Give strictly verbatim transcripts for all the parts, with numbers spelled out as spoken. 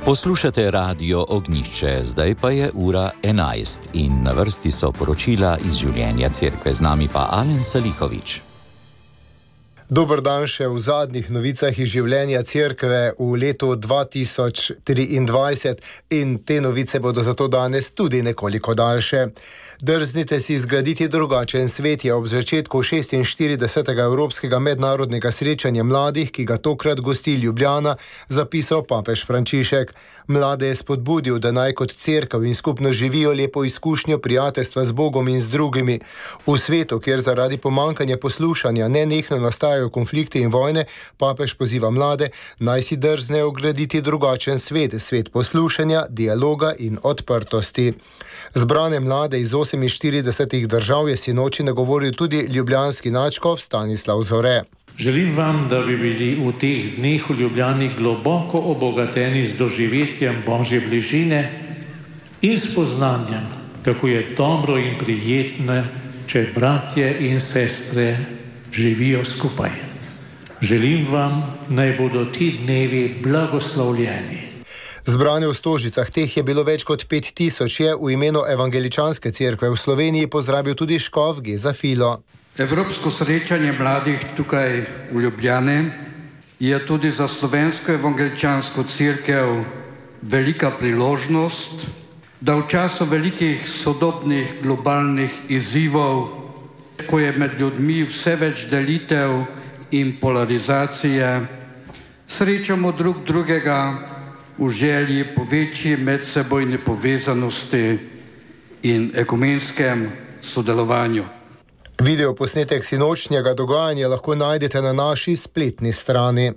Poslušate Radio Ognjišče, zdaj pa je ura enajst in na vrsti so poročila iz življenja cerkve, z nami pa Alen Salihovič. Dober dan še v zadnjih novicah iz življenja cerkve v letu dva tisoč triindvajset in te novice bodo zato danes tudi nekoliko daljše. Drznite si zgraditi drugačen svet je ob začetku šestinštiridesetega Evropskega mednarodnega srečanja mladih, ki ga tokrat gosti Ljubljana, zapisal papež Frančišek. Mlade je spodbudil, da naj kot cerkev in skupno živijo lepo izkušnjo prijateljstva z Bogom in z drugimi. V svetu, kjer zaradi pomanjkanja poslušanja nenehno nastajajo konflikti in vojne, papež poziva mlade, naj si drznejo graditi drugačen svet, svet poslušanja, dialoga in odprtosti. Zbrane mlade iz oseminštiridesetih držav je sinoči nagovoril tudi ljubljanski nadškof Stanislav Zore. Želim vam, da bi bili v teh dneh v Ljubljani globoko obogateni z doživetjem Božje bližine in spoznanjem, kako je dobro in prijetno, če bratje in sestre živijo skupaj. Želim vam, naj bodo ti dnevi blagoslovljeni. Zbrane v Stožicah, teh je bilo več kot pet tisoč, je v imenu Evangeličanske cerkve v Sloveniji pozdravil tudi škof Geza Filo. Evropsko srečanje mladih tukaj v Ljubljani je tudi za slovensko evangeličansko cerkev velika priložnost, da v času velikih sodobnih globalnih izzivov, ko je med ljudmi vse več delitev in polarizacije, srečamo drug drugega v želji po večji medsebojni povezanosti in ekumenskem sodelovanju. Video posnetek sinočnjega dogajanja lahko najdete na naši spletni strani.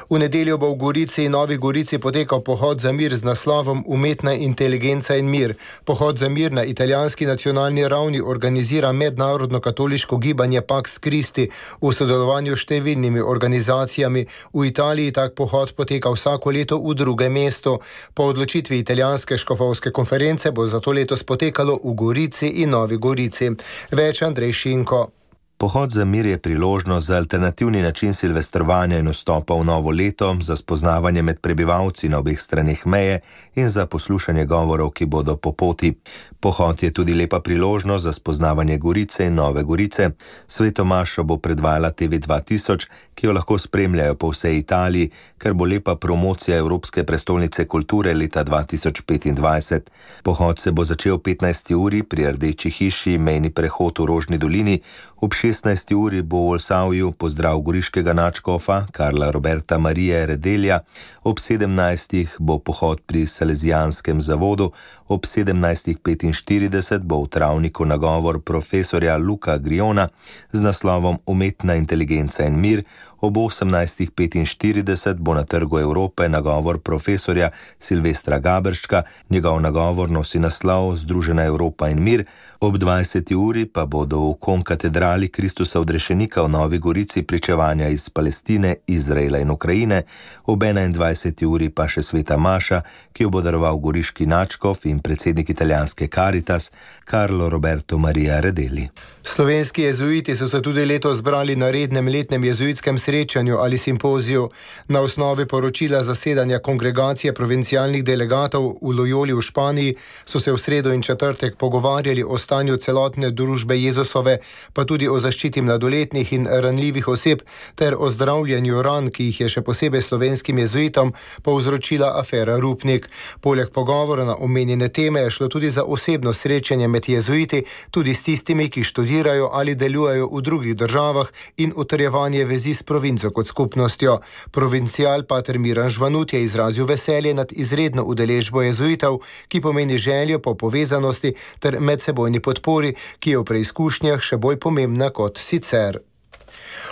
V nedeljo bo v Gorici in Novi Gorici potekal pohod za mir z naslovom Umetna inteligenca in mir. Pohod za mir na italijanski nacionalni ravni organizira mednarodno katoliško gibanje Pax Christi v sodelovanju s številnimi organizacijami. V Italiji tak pohod poteka vsako leto v drugem mestu. Po odločitvi italijanske škofovske konference bo zato letos potekalo v Gorici in Novi Gorici. Več Andrej Šinko. Pohod za mir je priložnost za alternativni način silvestrovanja in vstopa v novo leto, za spoznavanje med prebivalci na obeh straneh meje in za poslušanje govorov, ki bodo po poti. Pohod je tudi lepa priložnost za spoznavanje Gorice in Nove Gorice. Sveto mašo bo predvajala T V dva tisoč, ki jo lahko spremljajo po vsej Italiji, ker bo lepa promocija Evropske prestolnice kulture leta dva tisoč petindvajset. Pohod se bo začel ob petnajsti uri pri Rdeči hiši, mejni prehod v Rožni dolini. Ob šestnajsti uri bo v Olsavju pozdrav goriškega nadškofa Karla Roberta Marije Redelja. Ob sedemnajstih bo pohod pri Salezijanskem zavodu. Ob sedemnajstih petinštirideset bo v Travniku nagovor profesorja Luka Griona z naslovom Umetna inteligenca in mir. Ob osemnajstih petinštirideset bo na Trgu Evrope nagovor profesorja Silvestra Gaberščka, njegov nagovor nosi naslov Združena Evropa in mir. Ob dvajseti uri pa bodo v konkatedrali Kristusa odrešenika v Novi Gorici pričevanja iz Palestine, Izraela in Ukrajine. Ob enaindvajseti uri pa še sveta maša, ki jo bo daroval goriški nadškof in predsednik italijanske Caritas Carlo Roberto Maria Redeli. Slovenski jezuiti so se tudi letos zbrali na rednem letnem jezuitskem srečanju ali simpoziju. Na osnovi poročila zasedanja kongregacije provincialnih delegatov v Loyoli v Španiji so se v sredo in četrtek pogovarjali o stanju celotne družbe Jezusove, pa tudi o zaščiti mladoletnih in ranljivih oseb ter o zdravljenju ran, ki jih je še posebej slovenskim jezuitom povzročila afera Rupnik. Poleg pogovora na omenjene teme je šlo tudi za osebno srečanje med jezuiti, tudi s tistimi, ki študirajo ali delujejo v drugih državah, in utrjevanje vezi s provinco kot skupnostjo. Provincial pater Miran Žvanut je izrazil veselje nad izredno udeležbo jezuitov, ki pomeni željo po povezanosti ter medsebojni podpori, ki je v preizkušnjah še bolj pomembna kot sicer.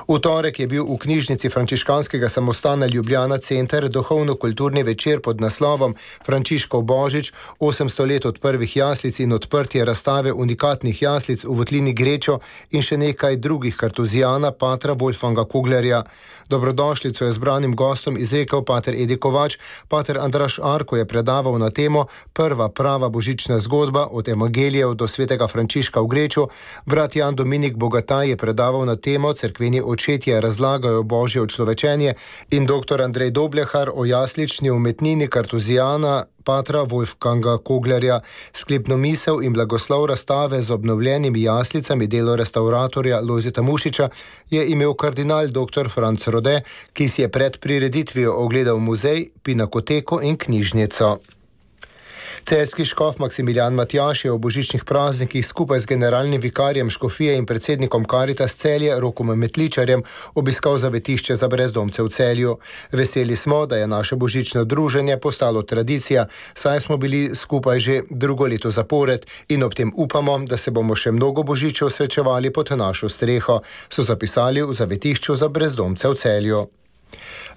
V torek je bil v knjižnici frančiškanskega samostana Ljubljana center duhovno-kulturni večer pod naslovom Frančiškov Božič, osemsto let od prvih jaslic in odprtje razstave unikatnih jaslic v votlini Grečo in še nekaj drugih kartuzijana patra Wolfganga Kuglerja. Dobrodošlico je zbranim gostom izrekel pater Edi Kovač, pater Andraž Arko je predaval na temo Prva prava božična zgodba od evangelijev do svetega Frančiška v Greču, brat Jan Dominik Bogataj je predaval na temo Cerkveni očetje razlagajo božje očlovečenje in doktor Andrej Doblehar o jaslični umetnini kartuzijana patra Wolfganga Koglerja. Sklepno misel in blagoslov razstave z obnovljenimi jaslicami delo restauratorja Lojzeta Mušiča je imel kardinal doktor Franc Rode, ki si je pred prireditvijo ogledal muzej, pinakoteko in knjižnico. Celjski škof Maksimilijan Matjaž je v božičnih praznikih skupaj z generalnim vikarjem škofije in predsednikom Karitas Celje Rokom Metličarjem obiskal zavetišče za brezdomce v Celju. Veseli smo, da je naše božično druženje postalo tradicija, saj smo bili skupaj že drugo leto zapored in ob tem upamo, da se bomo še mnogo božičev srečevali pod našo streho, so zapisali v zavetišču za brezdomce v Celju.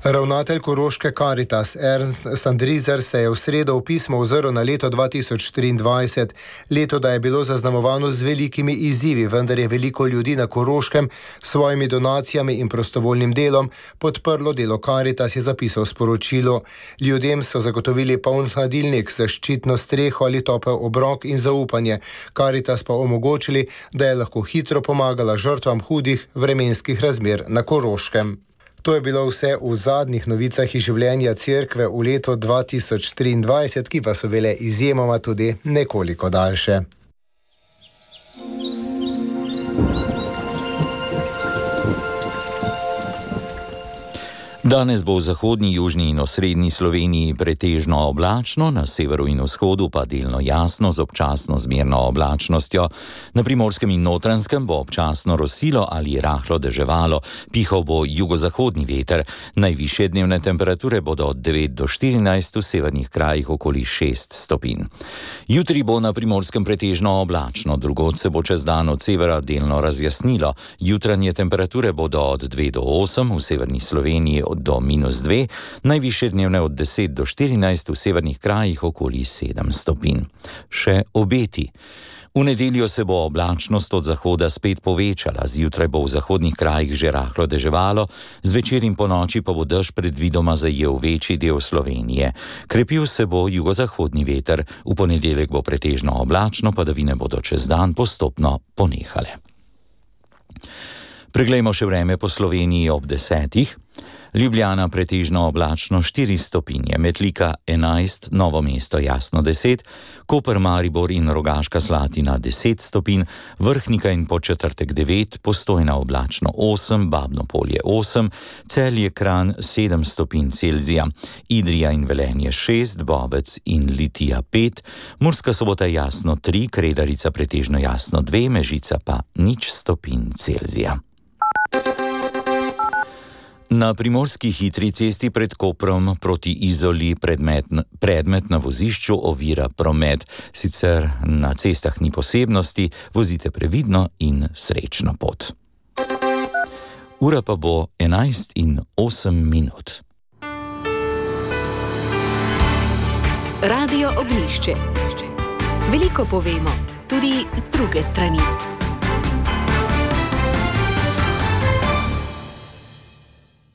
Ravnatelj koroške Karitas Ernst Sandrizer se je v sredo v pismo ozrl na leto dva tisoč triindvajset. Leto, da je bilo zaznamovano z velikimi izzivi, vendar je veliko ljudi na Koroškem s svojimi donacijami in prostovoljnim delom podprlo delo Karitas, je zapisal sporočilo. Ljudem so zagotovili poln hladilnik, zaščitno streho ali topel obrok in zaupanje. Karitas pa omogočili, da je lahko hitro pomagala žrtvam hudih vremenskih razmer na Koroškem. To je bilo vse v zadnjih novicah iz življenja cerkve v letu dva tisoč triindvajset, ki pa so bile izjemoma tudi nekoliko daljše. Danes bo v zahodni, južni in osrednji Sloveniji pretežno oblačno, na severu in vzhodu pa delno jasno z občasno zmerno oblačnostjo. Na Primorskem in Notranjskem bo občasno rosilo ali rahlo deževalo, pihal bo jugozahodni veter. Najvišje dnevne temperature bodo od devet do štirinajst, v severnih krajih okoli šest stopinj. Jutri bo na Primorskem pretežno oblačno, drugod se bo čez dan od severa delno razjasnilo. Jutranje temperature bodo od dve do osem, v severni Sloveniji od do minus dve, najvišje dnevne od deset do štirinajst, v severnih krajih okoli sedem stopinj. Še obeti. V nedeljo se bo oblačnost od zahoda spet povečala, zjutraj bo v zahodnih krajih že rahlo deževalo, zvečer in ponoči pa bo dež predvidoma zajel večji del Slovenije. Krepil se bo jugozahodni veter, v ponedeljek bo pretežno oblačno, padavine bodo čez dan postopno ponehale. Preglejmo še vreme po Sloveniji ob desetih. Ljubljana pretežno oblačno štiri stopinje, Metlika enajst, Novo mesto jasno deset, Koper, Maribor in Rogaška Slatina deset stopinj, Vrhnika in Podčetrtek devet, Postojna oblačno osem, Babno Polje osem, Celje, Kranj sedem stopinj Celzija, Idrija in Velenje šest, Bobec in Litija pet, Murska Sobota jasno tri, Kredarica pretežno jasno dve, Mežica pa nič stopinj Celzija. Na primorski hitri cesti pred Koprom proti Izoli predmet, predmet na vozišču ovira promet. Sicer na cestah ni posebnosti, vozite previdno in srečno pot. Ura pa bo enajst in osem minut. Radio Ognjišče. Veliko povemo, tudi z druge strani.